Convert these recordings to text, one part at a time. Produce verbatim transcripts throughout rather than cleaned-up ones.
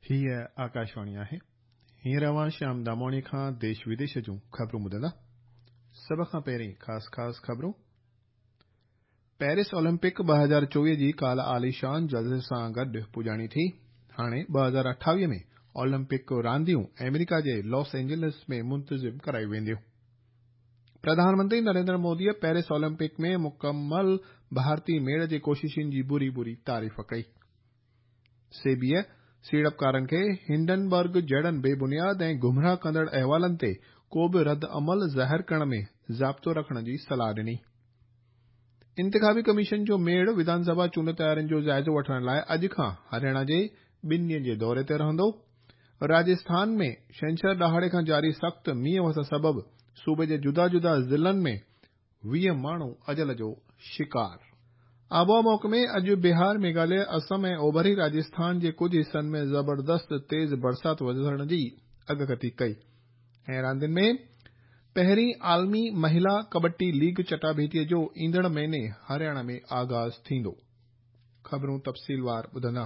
हीअ आकाशवाणी आहे। हींअर अव्हां श्याम दामोणी खां देश विदेश जूं ख़बरूं ॿुधंदा। सभ खां पहिरीं ख़ासि ख़ासि ख़बरूं। पेरिस ओलंपिक ٻه هزار چوويهه جي ڪالهه عاليشان جلسي سان گڏ پڄاڻي ٿي. هاڻي ٻه هزار اٺاويهه ۾ اولمپڪ رانديون آمريڪا جي لاس اينجلس ۾ منتظم ڪرايون وينديون. پرڌان منتري نريندر موديءَ پيرس اولمپڪ ۾ مڪمل ڀارتي ميڙ جي ڪوششن جي ڀري ڀري تعريف ڪئي. سيبيءَ سيڙپڪارن کي هنڊنبرگ جهڙن بي بنياد ۽ گمراهه ڪندڙ احوالن تي ڪو به رد عمل ظاهر ڪرڻ ۾ ضابطو رکڻ جي صلاح ڏني. انتخابي ڪميشن جو ميڙ وڌان سڀا چونڊ تيارين جو جائزو وٺڻ لاءِ اڄ کان هرياڻا جي ٻن ڏينهن جي دوري تي رهندو. راجسٿان ۾ ڇنڇر ڏهاڙي کان جاري سخت مينهن وس سبب صوبي جي جدا جدا ضلعن ۾ ويهه ماڻهو اجل جو شڪار. آبهوا محڪمي اڄ بهار، ميگهاليه، اسم ۽ اوڀري راجسٿان جي ڪجهه حصن ۾ زبردست تيز برسات وسڻ جي اڳڪٿي ڪئي. ۽ راندين ۾ پهرين عالمي مهلا ڪبڊي ليگ چٽاڀيٽيءَ جو ايندڙ مهيني هرياڻا ۾ آغاز ٿيندو. خبرون تفصيلوار ٻڌندا.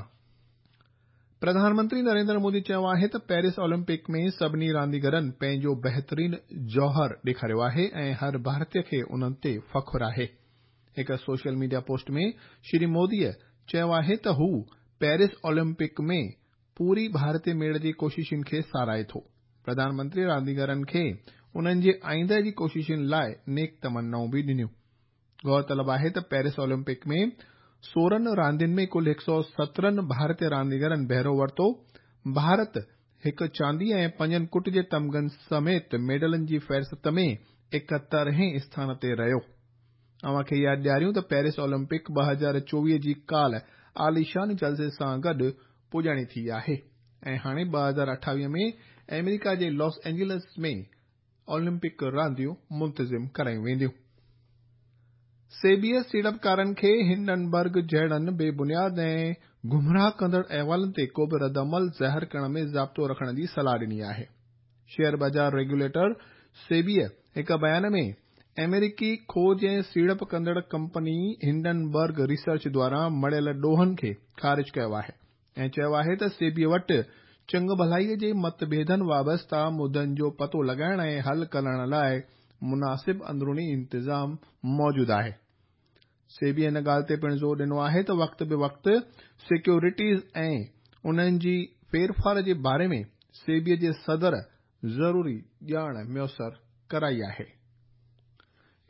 پرڌان منتري نريندر مودي چيو آهي ته پيرس اولمپڪ ۾ سڀني رانديگرن پنهنجو بهترين جوهر ڏيکاريو آهي ۽ هر ڀارتيه کي انهن تي فخر آهي. هڪ سوشل ميڊيا پوسٽ ۾ شري موديءَ چيو آهي ته هو پيرس اولمپڪ ۾ پوري ڀارتي ميڙ جي ڪوششن کي ساراهي ٿو. پرڌان منتري رانديگرن کي انهن جي آئنده جي ڪوششن لاءِ نيڪ تمنائون به ڏنيون. غور طلب آهي ته پيرس اولمپڪ ۾ سورهن راندين ۾ ڪل هڪ سؤ سترهن ڀارتي رانديگرن بهرو ورتو. ڀارت هڪ چاندي ۽ پنجن ڪٽ جي تمغن سميت ميڊلن جي فهرست ۾ ايڪهترهين اسٿان تي رهيو. اوهان کي ياد ڏياريون ته پيرس اولمپڪ ٻه هزار چوويهه جي ڪالهه عاليشان جلسي سان گڏ پڄاڻي ٿي آهي ۽ هاڻي ٻه هزار اٺاويهه ۾ آمريڪا جي لاس اينجلس ۾ اولمپڪ رانديون منتظم ڪرايون وينديون. سيبيءَ سيڙپڪارن کي هنڊنبرگ جهڙن بي بنياد ۽ گمراهه ڪندڙ احوالن تي ڪو به رد عمل ظاهر ڪرڻ ۾ ضابطو رکڻ جي صلاح ڏني آهي. شيئر بازار ريگيوليٽر سيبيءَ هڪ بيان ۾ آمريڪي کوج ۽ سيڙپ ڪندڙ ڪمپني هنڊنبرگ ريسرچ دواران مڙهيل ڏوهن کي خارج ڪيو آهي ۽ چيو آهي ته سيبيءَ وٽ چڱ ڀلائيءَ جي متڀيدن وابسته مدعن جو پتو لڳائڻ ۽ حل ڪرڻ لاءِ مناسب اندروني انتظام موجود آهي. سيبيءَ هن ڳالهه تي پڻ زور ڏنو آهي ته وقت به وقت سيڪيورٽيز ۽ انهن جي ڦيرڦار جي باري ۾ سيبيءَ جي صدر ضروري ڄاڻ ميسر ڪرائي آهي.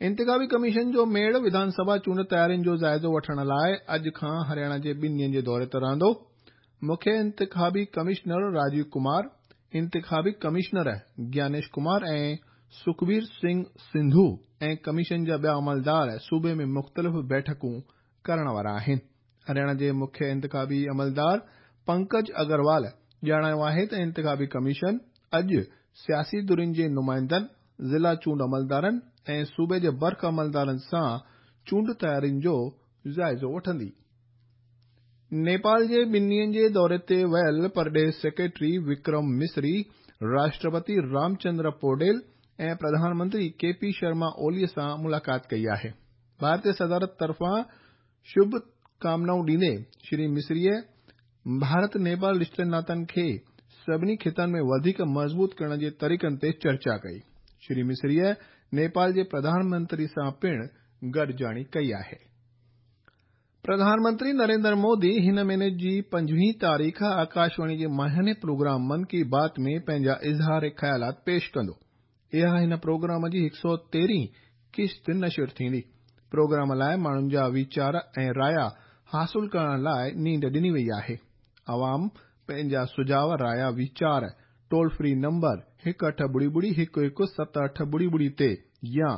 انتخابي ڪميشن جو ميڙ وڌان سڀا چونڊ تيارين جو جائزو وٺڻ لاءِ اڄ کان هرياڻا جي ٻن ڏينهن جي دوري تي رهندو. مکيه انتخابي ڪمشنر راجيو ڪمار، انتخابي ڪمشنر گيانيش ڪمار ۽ سکبير سنگهه سنڌو ۽ ڪميشن جا ٻيا عملدار صوبي ۾ مختلف بيٺڪون ڪرڻ وارا آهن. هرياڻا جي مکيه انتخابي عملدار پنڪج اگروال ڄاڻايو آهي ته انتخابي ڪميشن اڄ سياسي ڌرين جي نمائندن، ضلع چونڊ عملدارن ۽ صوبي جي برک عملدارن سان چونڊ تيارين جو جائزو وٺندي. نيپال جي ٻن ڏينهن جي دوري تي ويل پرڏيهي سيڪريٽري وڪرم مصري، راشٽرپتي رامچندر پوڊيل ۽ پرڌان منتري ڪي پي شرما اوليءَ سان ملاقات ڪئي آهي. ڀارتي صدارت طرفان شڀ ڪامنائون ڏيندي شري مصريءَ ڀارت نيپال رشتن ناتن کي سڀني خطن ۾ وڌيڪ مضبوط ڪرڻ جي طريقن تي چرچا ڪئي. شري مصريءَ نيپال جي پرڌان منتري سان پڻ گڏجاڻي ڪئي آهي. پرڌان منتري نريندر مودي هن مهيني جي پنجويهين تاريخ آڪاشواڻي جي ماهياني پروگرام من ڪي بات ۾ پنهنجا اظهار خيالات پيش ڪندو. اها هن پروگرام جي هڪ سؤ تيرهين قسط نشر ٿيندي. پروگرام لاءِ ماڻهن جا ويچار ۽ رايا حاصل ڪرڻ لاءِ نينڍ ڏني وئي آهي. عوام پنهنجا سجهاءُ، رايا، ويچار ٽول فري نمبر هڪ اٺ ٻڙي ٻڙي هڪ هڪ ست اٺ ٻڙي ٻڙي تي يا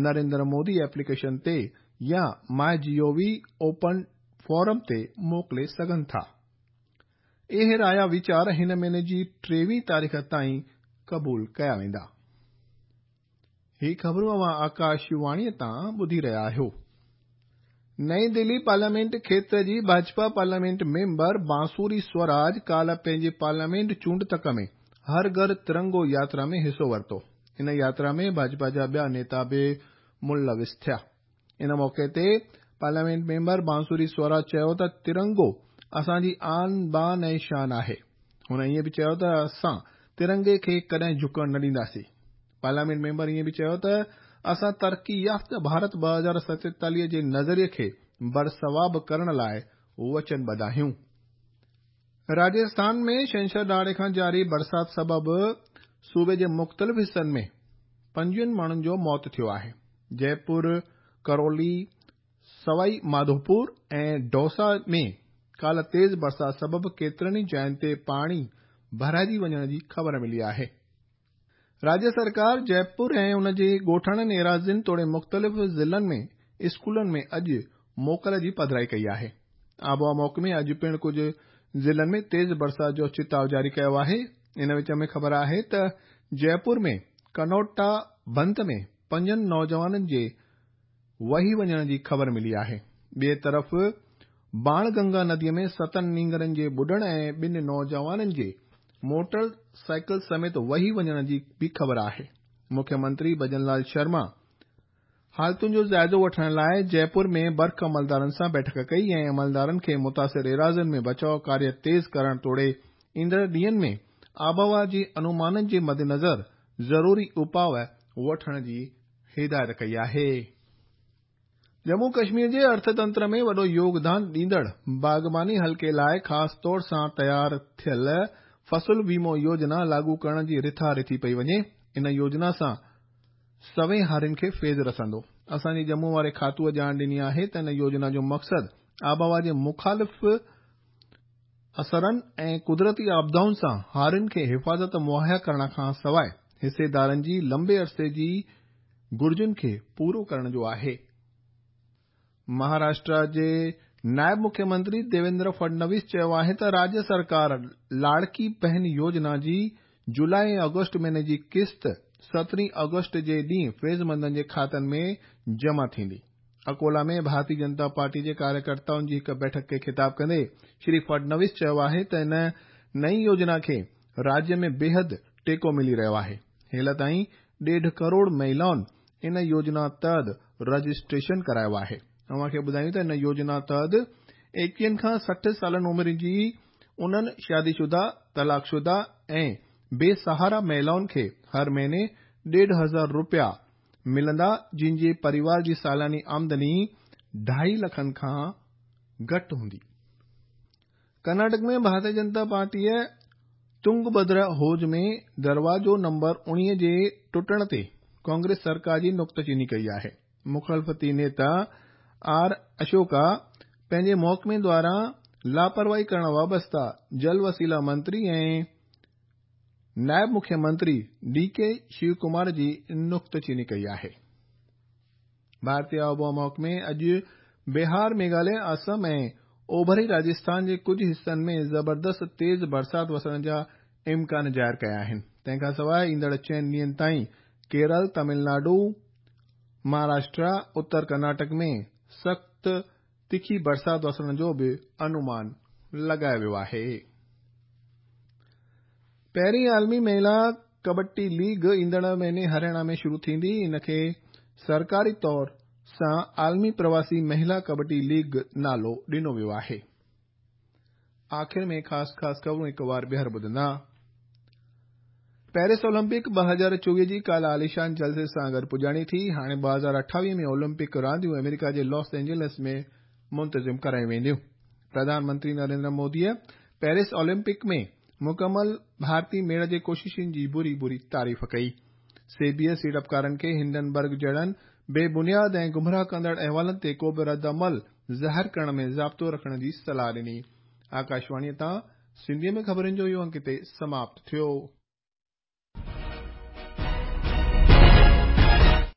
نريندر مودي ايپليڪيشن تي يا my G O V open forum تي موڪلي سگهن ٿا. اهي رايا ويچار هن مهيني جي ٽيويهين تاريخ تائين قبول ڪيا ويندا. هي خبرون اوهان آڪاشواڻيءَ تان ٻڌي رهيا آهيو. نئين دلي پارليامينٽ کيتر جي ڀاجپا پارليامينٽ ميمبر بانسوري سوراج ڪالهه پنهنجي پارليامينٽ چونڊ تڪ ۾ هر گهر ترنگو ياترا ۾ حصو ورتو. ان ياترا ۾ ڀاجپا جا ٻيا نيتا به ملوث ٿيا. ان موقعي تي پارليامينٽ ميمبر بانسوري سوراج چيو ته ترنگو اسان جي آن بان ۽ شان آهي. هن ائين به چيو ته اسان ترنگي کي ڪڏهن جهڪڻ نه ڏينداسين. پارليامينٽ ميمبر ائين به چيو ته اسان ترقي يافته ڀارت ٻه هزار ستيتاليهه جي نظريي کي برثواب ڪرڻ لاءِ وچنبڌ آهيون. راجسٿان ۾ ڇنڇر ڏهاڙي کان جاري برسات سبب صوبي جي مختلف حصن ۾ پنجويهن ماڻهن جو موت ٿيو آهي. جئپور، ڪرولي، سوائي ماڌوپور ۽ ڊوسا ۾ ڪالهه تيز برسات سبب ڪيترن ئي جاين تي پاڻي ڀرائجي وڃڻ جي خبر ملي آهي. راجيه سرڪار جئپور ۽ ان جي ڳوٺاڻن ايراضين توڙي مختلف ضلعن ۾ اسڪولن ۾ اڄ موڪل جي پڌرائي ڪئي آهي. آبهوا محڪمي اڄ پڻ ڪجهه ضلعن ۾ تيز برسات جو چتاءُ جاري ڪيو آهي. ان وچ ۾ خبر آهي ته جئپور ۾ ڪنوٽا بند ۾ پنجن نوجوانن جي وهي وڃڻ جي خبر ملي آهي. ٻئي طرف باڻ گنگا نديءَ ۾ ستن نينگرن جي ٻڏڻ ۽ ٻن نوجوانن جي موٽر سائيڪل سميت وهي وڃڻ جي به خبر آهي. مکيه منتري ڀجن لال شرما حالتن جو جائزو وٺڻ لاءِ جئپور ۾ برق عملدارن سان بيٺڪ ڪئي ۽ عملدارن کي متاثر ايراضين ۾ بچاءُ ڪاريه تيز ڪرڻ توڙي ايندڙ ڏينهن ۾ آبهوا جي انومانن جي مدنظر ضروري اپاءُ وٺڻ جي هدايت ڪئي آهي. ڄمون ڪشمير جي ارٿتنتر ۾ وڏو يوگدان ڏيندڙ باغباني حلقي لاءِ خاص طور سان تيار ٿيل فصل ويمو يوجنا لاڳو ڪرڻ جي رٿا رٿي پئي وڃي. ان يوجنا سان سوين هارين کي فيض رسندو. اسان جي ڄمون واري کاتوءَ ڄاڻ ڏني آهي ته ان يوجنا جو مقصد آبهوا جي مخالف اثرن ۽ قدرتي آپدائن سان هارين کي حفاظت مهيا ڪرڻ کان سواءِ حصيدارن جي لمبي عرصي جي گهرجن کي پورو ڪرڻ جو آهي. مهاراشٽر جي نائب مکيه منتري ديويندر فڊنويس چيو آهي ته راجيه سرڪار لاڙڪي بهن يوجنا جي جولاءِ ۽ آگسٽ مهيني جي قسط سترهين آگسٽ جي ڏينهن فيضمندن جي کاتن ۾ جمع ٿيندي. اڪولا ۾ ڀارتيه جنتا پارٽي جي ڪاريڪرتائن جي هڪ بيٺڪ کي خطاب ڪندي شري فڊنويس چيو آهي ته ان نئين يوجنا کي راجيه ۾ بيحد ٽيڪو ملي رهيو آهي. هيل تائين ڏيڍ ڪروڙ مهلائن ان يوجنا تحت رجسٽريشن ڪرايو آهي. اوهان کي ٻڌايون ته ان يوجنا تحت ايڪويهن کان سٺ سالن عمر جي انهن شادي شده، طلاق شده ۽ بي سهارا مهلائن کي هر مهيني ڏيڍ هزار رپيا ملندا جن جي پريوار جي سالياني آمدني ڍائي لکن کان گهٽ هوندي. ڪرناٽڪ ۾ ڀارتيه جنتا پارٽيءَ تنگڀدرا حوض ۾ دروازو نمبر اڻويهه جي ٽٽڻ تي ڪانگريس سرڪار جي نڪتچيني ڪئي آهي. مخالفتي نيتا آر اشوڪا پنهنجي محڪمي دواران لاپرواهي ڪرڻ وابسته جل وسيلا منتري ۽ نائب مکيه منتري ڊي ڪي شيو ڪمار جي نڪتچيني ڪئي آهي. ڀارتيه آبهوا محڪمي اڄ بهار، ميگهاليه، آسام ۽ اوڀري راجسٿان جي ڪجهه حصن ۾ زبردست تيز برسات وسڻ جا امڪان ظاهر ڪيا آهن. تنهن کان سواءِ ايندڙ چئن ڏينهن تائين ڪيرل، تامل ناڊو، مهاراشٽر، اتر ڪرناٽڪ ۾ سخت تکي برسات وسڻ جو به انومان لڳايو ويو آهي. پهرين عالمي مهلا ڪبڊي ليگ ايندڙ مهيني هرياڻا ۾ شروع ٿيندي. ان کي سرڪاري طور سان عالمي پرواسي مهلا ڪبڊي ليگ نالو ڏنو ويو آهي. آخر ۾ خاص خاص خبرون هڪ وار ٻيهر ٻڌندا. پيرس اولمپڪ ٻه هزار چوويهه جي ڪالهه عاليشان جلسي سان گڏ پڄاڻي ٿي. هاڻي ٻه هزار اٺاويهه ۾ اولمپڪ رانديون آمريڪا جي لاس اينجلس ۾ منتظم ڪرايون وينديون. پرڌان منتري نريندر موديءَ پيرس اولمپڪ ۾ مڪمل ڀارتي ميڙ جي ڪوششن جي بري بري تعريف ڪئي. سيبيءَ سيڙپڪارن کي هنڊنبرگ جهڙن بي بنياد ۽ گمراهه ڪندڙ احوالن تي ڪو به رد عمل ظاهر ڪرڻ ۾ ضابطو رکڻ جي صلاح ڏني. آڪاشواڻيءَ تان سنڌيءَ ۾ خبرن جو اهو انڪ هتي سماپت ٿيو.